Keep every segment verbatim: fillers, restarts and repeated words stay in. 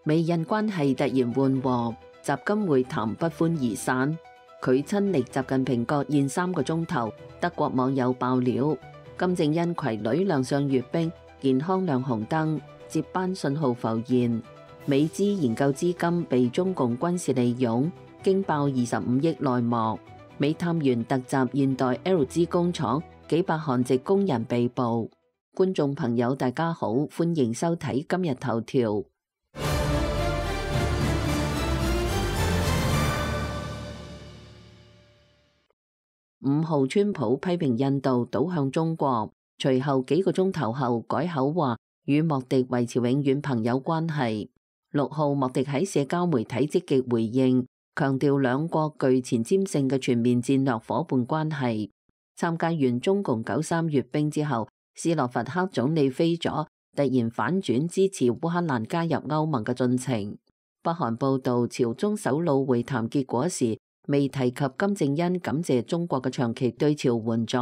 美印關係突然緩和，習金會談不歡而散。佢親歷習近平國宴三個鐘頭，德國網友爆料，金正恩攜女亮相閱兵，健康亮紅燈，接班信號浮現。美資研究資金被中共軍事利用，驚爆二十五億內幕。美探員突襲現代 L G 工廠，幾百韓籍工人被捕。觀眾朋友大家好，歡迎收睇今日頭條。五號川普批評印度倒向中國，隨後幾個鐘頭後改口話與莫迪維持永遠朋友關係。六號莫迪喺社交媒體積極回應，強調兩國具前瞻性嘅全面戰略夥伴關係。參加完中共九三閱兵之後，斯洛伐克總理菲佐突然反轉支持烏克蘭加入歐盟嘅進程。北韓報道朝中首腦會談結果時，未提及金正恩感謝中國嘅長期對朝援助。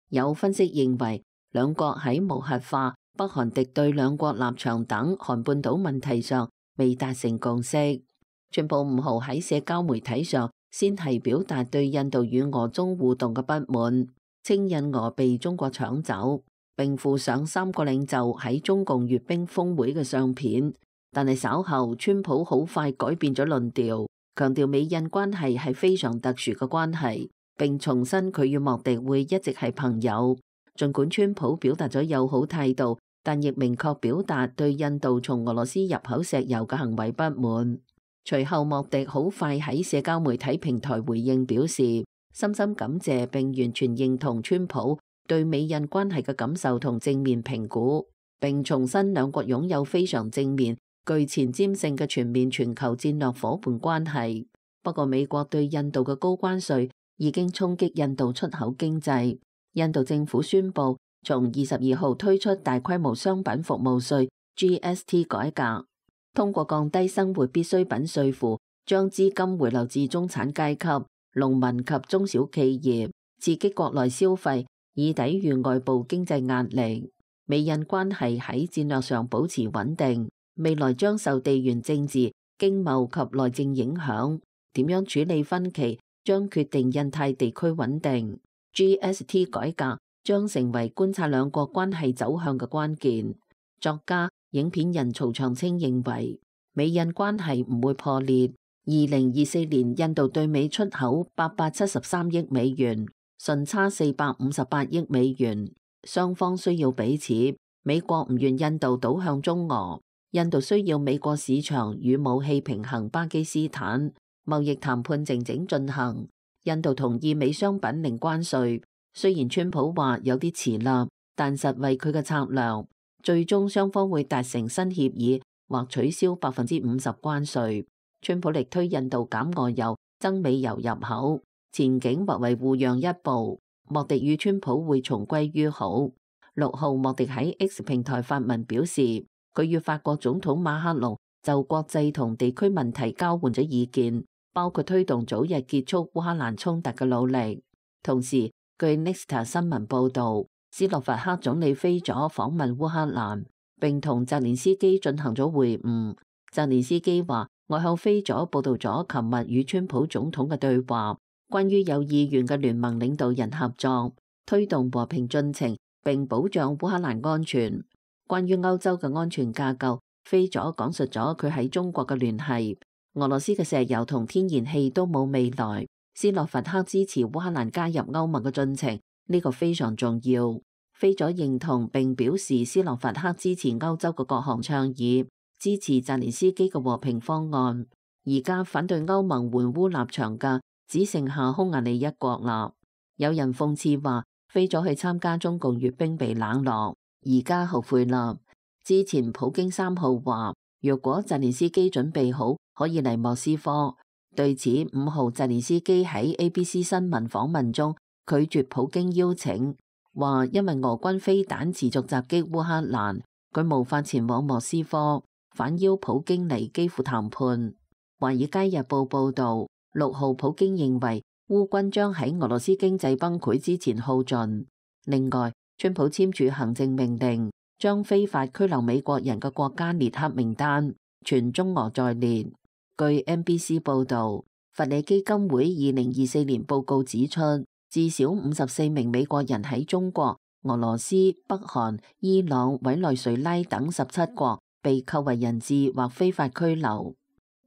有分析認為，兩國喺無核化、北韓敵對兩國立場等韓半島問題上未達成共識。川普五號喺社交媒體上先係表達對印度與俄中互動嘅不滿，稱印俄被中國搶走，並附上三個領袖喺中共閱兵峰會嘅相片。但係稍後，川普好快改變咗論調，強調美印關係係非常特殊嘅關係，並重申佢與莫迪會一直係朋友。儘管川普表達咗友好態度，但亦明確表達對印度從俄羅斯入口石油嘅行為不滿。隨後，莫迪好快喺社交媒體平台回應表示，深深感謝並完全認同川普對美印關係嘅感受同正面評估，並重申兩國擁有非常正面、具前瞻性嘅全面全球戰略夥伴關係。不過，美國對印度嘅高關稅已經衝擊印度出口經濟。印度政府宣布從二十二號推出大規模商品服務稅 G S T 改革，通過降低生活必需品稅負，將資金回流至中產階級、農民及中小企業，刺激國內消費，以抵禦外部經濟壓力。美印關係喺戰略上保持穩定，未來將受地緣政治、經貿及內政影響。點樣處理分歧，將決定印太地區穩定。G S T 改革將成為觀察兩國關係走向嘅關鍵。作家、影片人曹長青認為，美印關係唔會破裂。二零二四年印度對美出口八百七十三億美元，順差四百五十八億美元。雙方需要彼此。美國唔願印度倒向中俄，印度需要美國市場與武器平衡巴基斯坦。貿易談判靜靜進行，印度同意美商品零關稅。雖然川普話有啲遲啦，但實為佢嘅策略，最終雙方會達成新協議或取消百分之五十關稅。川普力推印度減俄油、增美油入口，前景或為互讓一步。莫迪與川普會重歸於好。六號，莫迪喺 X 平台發文表示，佢與法國總統馬克龍就國際同地區問題交換咗意見，包括推動早日結束烏克蘭衝突嘅努力。同時，據 Nexta 新聞報導，斯洛伐克總理菲佐訪問烏克蘭，並同澤連斯基進行咗會晤。澤連斯基話：我向菲佐報道咗琴日與川普總統嘅對話，關於有意願嘅聯盟領導人合作，推動和平進程並保障烏克蘭安全。關於歐洲嘅安全架構，菲佐講述咗佢喺中國嘅聯繫。俄羅斯嘅石油同天然氣都冇未來。斯洛伐克支持烏克蘭加入歐盟嘅進程，呢個非常重要。菲佐認同並表示斯洛伐克支持歐洲嘅各項倡議，支持澤連斯基嘅和平方案。而家反對歐盟援烏立場嘅只剩下匈牙利一國啦。有人諷刺話，菲佐去參加中共閱兵被冷落，而家後悔啦。之前普京三號話，若果澤連斯基準備好，可以嚟莫斯科。對此，五號澤連斯基喺 A B C 新聞訪問中拒絕普京邀請，話因為俄軍飛彈持續襲擊烏克蘭，佢無法前往莫斯科，反邀普京嚟基輔談判。華爾街日報報導，六號普京認為烏軍將喺俄羅斯經濟崩潰之前耗盡。另外，川普簽署行政命令，將非法拘留美國人嘅國家列黑名單，全中俄在列。據 N B C 報導，佛里基金會二零二四年報告指出，至少五十四名美國人喺中國、俄羅斯、北韓、伊朗、委內瑞拉等十七國被扣為人質或非法拘留。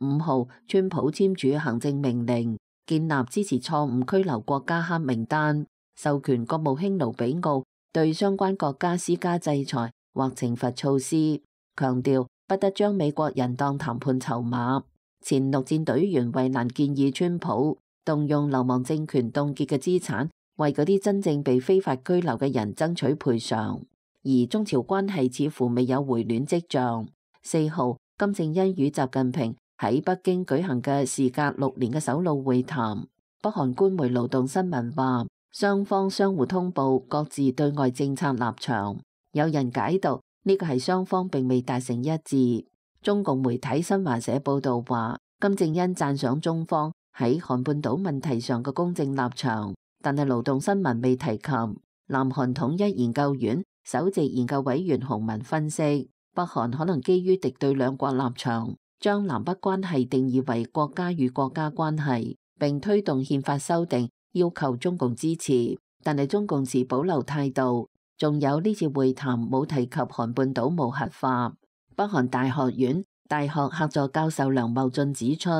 五號，川普簽署行政命令，建立支持錯誤拘留國家黑名單，授權國務卿盧比奧對相關國家施加制裁或懲罰措施，強調不得將美國人當談判籌碼。前陸戰隊員惠蘭建議川普動用流亡政權凍結嘅資產，為嗰啲真正被非法拘留嘅人爭取賠償。而中朝關係似乎未有回暖跡象。四號，金正恩與習近平喺北京舉行嘅時隔六年嘅首腦會談。北韓官媒勞動新聞話，雙方相互通報各自對外政策立場。有人解讀呢個係雙方並未達成一致。中共媒體新華社報道話，金正恩讚賞中方喺韓半島問題上嘅公正立場，但係勞動新聞未提及。南韓統一研究院首席研究委員洪文分析，北韓可能基於敵對兩國立場，將南北關係定義為國家與國家關係，並推動憲法修訂，要求中共支持，但係中共持保留態度。仲有呢次會談冇提及韓半島無核化。北韓大學院大學客座教授梁茂俊指出，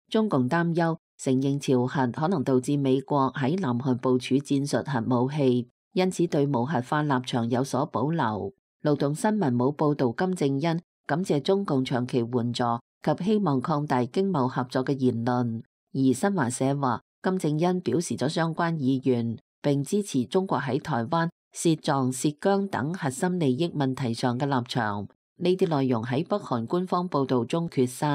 中共擔憂承認朝核可能導致美國喺南韓部署戰術核武器，因此對無核化立場有所保留。勞動新聞冇報導金正恩感謝中共長期援助及希望擴大經貿合作嘅言論，而新華社話金正恩表示咗相關意願，並支持中國喺台灣、涉藏、涉疆等核心利益問題上嘅立場。呢啲內容喺北韓官方報導中缺失。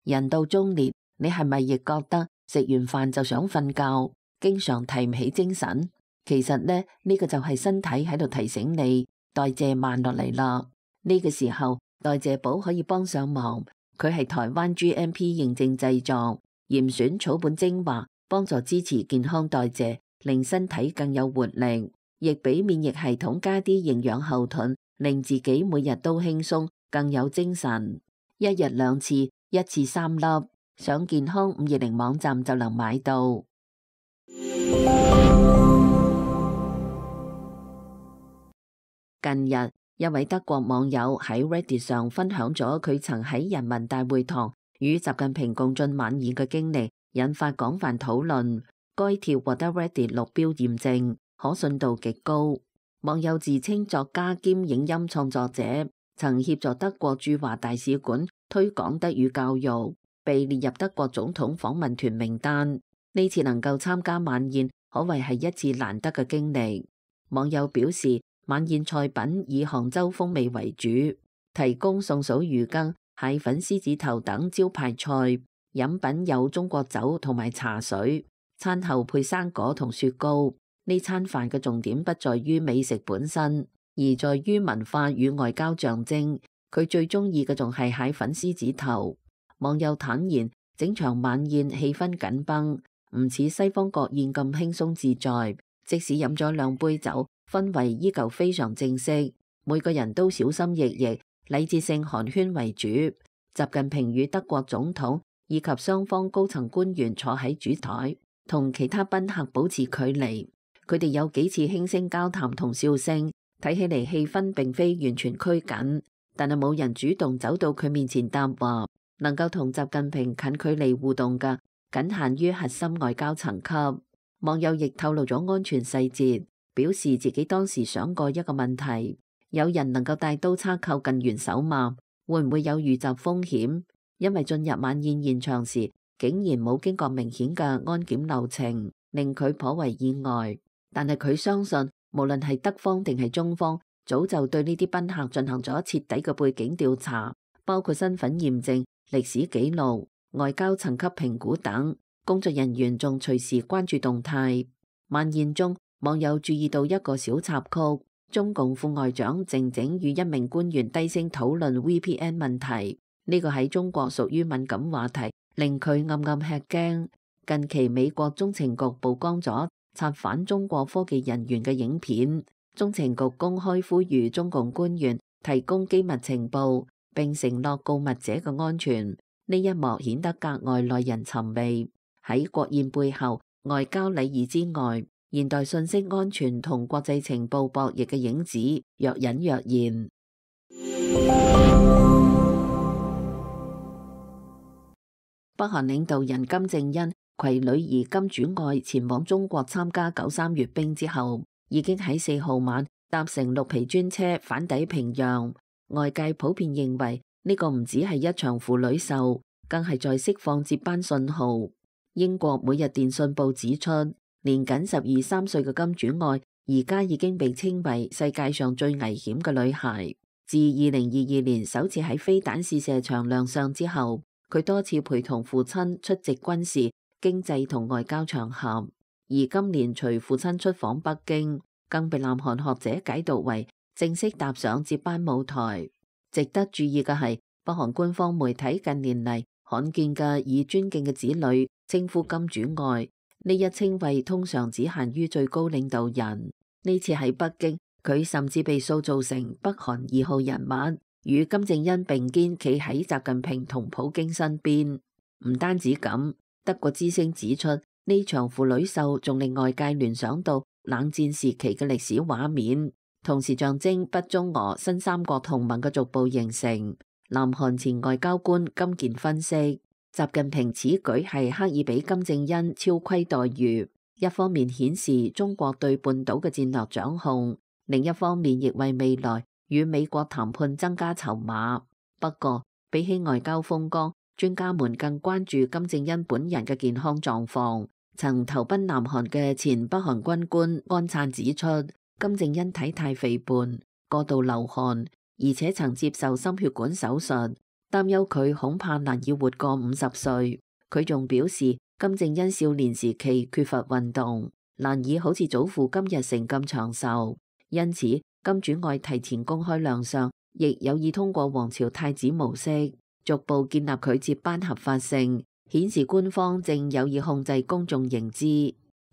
人到中年，你係咪亦覺得食完飯就想瞓覺，經常提唔起精神？其實呢，呢、呢個就係身體喺度提醒你代謝慢落嚟啦。呢、呢個時候代謝寶可以幫上忙，佢係台灣 G M P 認證製作，嚴選草本精華，幫助支持健康代謝，令身體更有活力，亦俾免疫系統加啲營養後盾，令自己每日都輕鬆，更有精神。一日兩次，一次三粒，上健康五二零網站就能買到。近日，一位德國網友喺 Reddit 上分享咗佢曾喺人民大會堂與習近平共進晚宴嘅經歷，引發廣泛討論。該帖獲得 Reddit 綠標驗證，可信度極高。網友自稱作家兼影音創作者，曾協助德國駐華大使館推廣德語教育，被列入德國總統訪問團名單。呢次能夠參加晚宴，可謂係一次難得嘅經歷。網友表示，晚宴菜品以杭州風味為主，提供宋嫂魚羹、蟹粉獅子頭等招牌菜，飲品有中國酒同埋茶水，餐後配生果同雪糕。呢餐飯嘅重點不在於美食本身，而在於文化與外交象徵。佢最中意嘅仲係蟹粉獅子頭。網友坦言，整場晚宴氣氛緊繃，唔似西方國宴咁輕鬆自在。即使飲咗兩杯酒，氛圍依舊非常正式，每個人都小心翼翼，禮節性寒暄為主。習近平與德國總統以及雙方高層官員坐喺主台，同其他賓客保持距離。佢哋有幾次輕聲交談同笑聲，睇起嚟氣氛並非完全拘謹，但係冇人主動走到佢面前答話。能夠同習近平近距離互動嘅，僅限於核心外交層級。網友亦透露咗安全細節，表示自己當時想過一個問題：有人能夠帶刀叉靠近元首嗎？會唔會有遇襲風險？因為進入晚宴現場時，竟然冇經過明顯嘅安檢流程，令佢頗為意外。但係佢相信，無論係德方定係中方，早就對呢啲賓客進行咗徹底嘅背景調查，包括身份驗證、歷史記錄、外交層級評估等。工作人員仲隨時關注動態。晚宴中，網友注意到一個小插曲：中共副外長靜靜與一名官員低聲討論 V P N 問題。呢個喺中國屬於敏感話題，令佢暗暗吃驚。近期美國中情局曝光咗策反中國科技人員嘅影片，中情局公開呼籲中共官員提供機密情報，並承諾告密者嘅安全。呢一幕顯得格外耐人尋味。喺國宴背後，外交禮儀之外，現代信息安全同國際情報博弈嘅影子若隱若現。北韓領導人金正恩攜女兒金主愛前往中國參加九三閱兵之後，已經喺四號晚搭乘綠皮專車返抵平壤。外界普遍認為呢個唔只係一場父女秀，更係在釋放接班信號。英國每日電訊報指出，年僅十二三歲嘅金主愛而家已經被稱為世界上最危險嘅女孩。自二零二二年首次喺飛彈試射場亮相之後，佢多次陪同父親出席軍事、經濟同外交場合，而今年隨父親出訪北京，更被南韓學者解讀為正式踏上接班舞台。值得注意嘅係，北韓官方媒體近年嚟罕見嘅以尊敬嘅子女稱呼金主愛，呢一稱謂通常只限於最高領導人。呢次喺北京，佢甚至被塑造成北韓二號人物，與金正恩並肩企喺習近平同普京身邊。唔單止咁，德國之聲指出，呢場父女秀仲令外界聯想到冷戰時期嘅歷史畫面，同時象徵北中俄新三國同盟嘅逐步形成。南韓前外交官金健分析，習近平此舉係刻意俾金正恩超規待遇，一方面顯示中國對半島嘅戰略掌控，另一方面亦為未來與美國談判增加籌碼。不過，比起外交風光，專家們更關注金正恩本人嘅健康狀況。曾投奔南韓嘅前北韓軍官安燦指出，金正恩體態肥胖、過度流汗，而且曾接受心血管手術，擔憂佢恐怕難以活過五十歲。佢仲表示，金正恩少年時期缺乏運動，難以好似祖父金日成咁長壽。因此，金主愛提前公開亮相，亦有意通過皇朝太子模式，逐步建立佢接班合法性，顯示官方正有意控制公眾認知。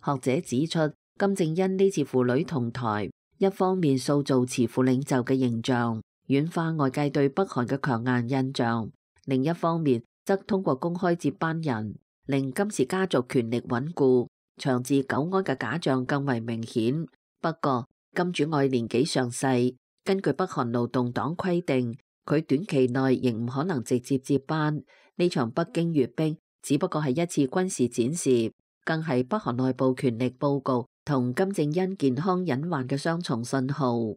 學者指出，金正恩呢次父女同台，一方面塑造慈父領袖嘅形象，軟化外界對北韓嘅強硬印象；另一方面，則通過公開接班人，令金氏家族權力穩固、長治久安嘅假象更為明顯。不過，金主愛年紀尚細，根據北韓勞動黨規定，佢短期內仍唔可能直接接班。呢場北京閱兵只不過係一次軍事展示，更係北韓內部權力報告同金正恩健康隱患嘅雙重信號。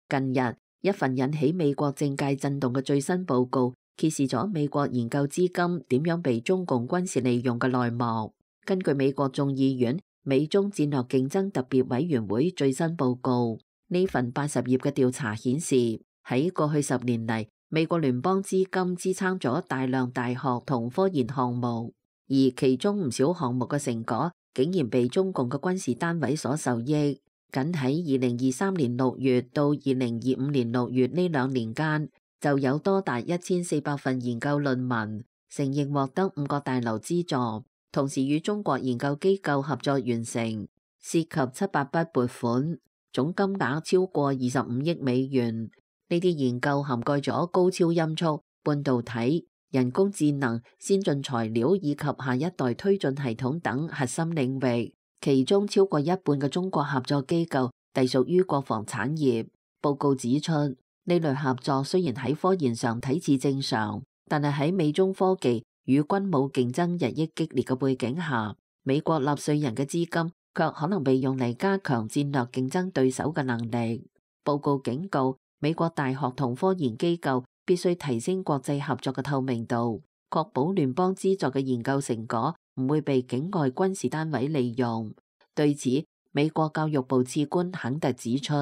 近日，一份引起美國政界震動嘅最新報告，揭示咗美國研究資金點樣被中共軍事利用嘅內幕。根據美國眾議院美中戰略競爭特別委員會最新報告，呢份八十頁嘅調查顯示，喺過去十年嚟，美國聯邦資金支撐咗大量大學同科研項目，而其中唔少項目嘅成果竟然被中共嘅軍事單位所受益。僅喺二零二三年六月到二零二五年六月呢兩年間，就有多達一千四百份研究論文承認獲得五個大樓資助，同時與中國研究機構合作完成，涉及七百筆撥款，總金額超過二十五億美元。呢啲研究涵蓋咗高超音速、半導體、人工智能、先進材料以及下一代推進系統等核心領域。其中超過一半嘅中國合作機構隸屬於國防產業。報告指出，呢類合作雖然喺科研上睇似正常，但係喺美中科技與軍武競爭日益激烈嘅背景下，美國納稅人嘅資金卻可能被用嚟加強戰略競爭對手嘅能力。報告警告，美國大學同科研機構必須提升國際合作嘅透明度，確保聯邦資助嘅研究成果唔會被境外軍事單位利用。對此，美國教育部次官肯特指出，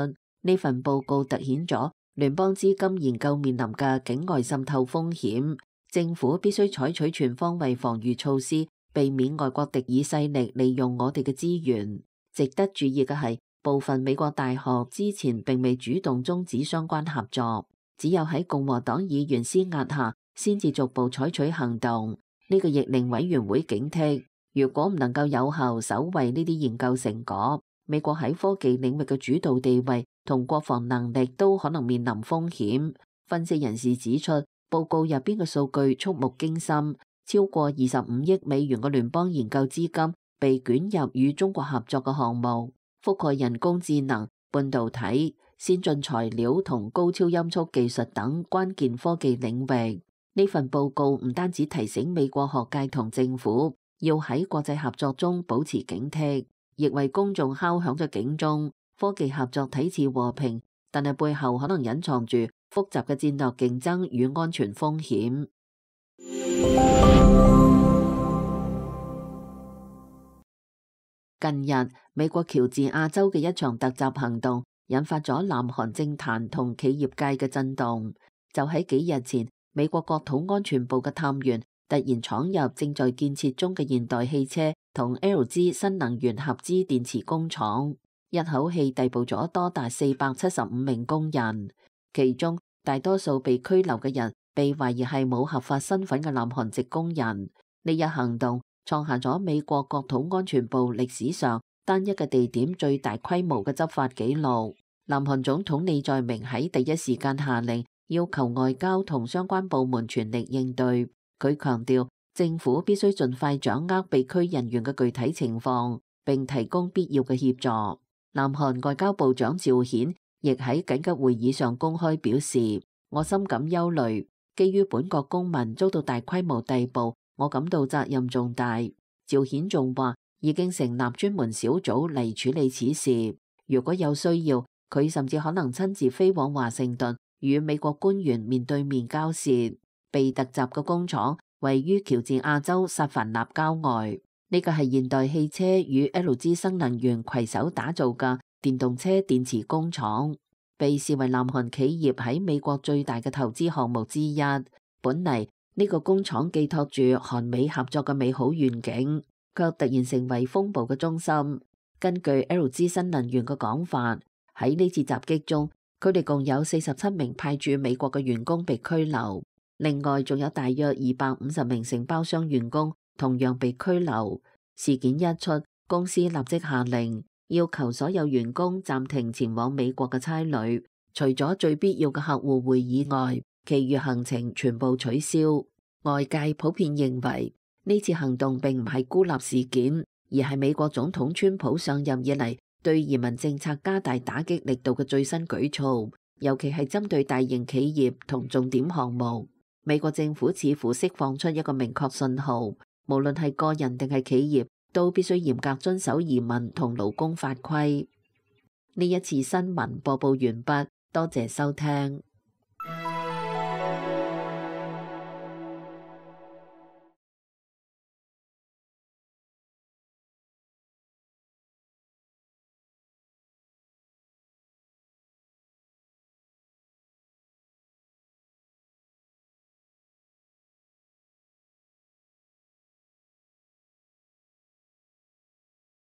呢份報告凸顯咗聯邦資金研究面臨嘅境外滲透風險，政府必須採取全方位防禦措施，避免外國敵意勢力利用我哋嘅資源。值得注意嘅係，部分美國大學之前並未主動終止相關合作，只有喺共和黨議員施壓下，先至逐步採取行動。呢個亦令委員會警惕，如果唔能夠有效守衛呢啲研究成果，美國喺科技領域嘅主導地位同國防能力都可能面臨風險。分析人士指出，報告入邊嘅數據觸目驚心，超過二十五億美元嘅聯邦研究資金被捲入與中國合作嘅項目，覆蓋人工智能、半導體、先進材料同高超音速技術等關鍵科技領域。呢份報告唔單止提醒美國學界同政府要喺國際合作中保持警惕，亦為公眾敲響咗警鐘。科技合作睇似和平，但係背後可能隱藏住複雜嘅戰略競爭與安全風險。近日，美國喬治亞州嘅一場突襲行動，引發咗南韓政壇同企業界嘅震動。就喺幾日前，美國國土安全部嘅探員突然闖入正在建設中嘅現代汽車同 L G 新能源合資電池工廠，一口氣逮捕咗多達四百七十五名工人，其中大多數被拘留嘅人被懷疑係冇合法身份嘅南韓籍工人。呢一行動創下咗美國國土安全部歷史上單一嘅地點最大規模嘅執法紀錄。南韓總統李在明喺第一時間下令要求外交同相關部門全力應對。佢強調政府必須盡快掌握被拘人員嘅具體情況，並提供必要嘅協助。南韓外交部長趙顯亦喺緊急會議上公開表示，我深感憂慮，基於本國公民遭到大規模逮捕，我感到責任重大。趙顯仲話已經成立專門小組嚟處理此事，如果有需要，佢甚至可能親自飛往華盛頓與美國官員面對面交涉。被突襲嘅工廠位於喬治亞州薩凡納郊外，呢個係現代汽車與 L G 新能源攜手打造嘅電動車電池工廠，被視為南韓企業喺美國最大嘅投資項目之一。本嚟呢個工廠寄託住韓美合作嘅美好願景，卻突然成為風暴嘅中心。根據 L G 新能源嘅講法，喺呢次襲擊中，佢哋共有四十七名派駐美國嘅員工被拘留，另外仲有大約二百五十名承包商員工同樣被拘留。事件一出，公司立即下令要求所有員工暫停前往美國嘅差旅，除咗最必要嘅客戶會議外，其餘行程全部取消。外界普遍認為呢次行動並唔係孤立事件，而係美國總統川普上任以嚟對移民政策加大打擊力度嘅最新舉措，尤其係針對大型企業同重點項目。美國政府似乎釋放出一個明確信號，無論係個人定係企業，都必須嚴格遵守移民同勞工法規。呢一次新聞播報完畢，多謝收聽。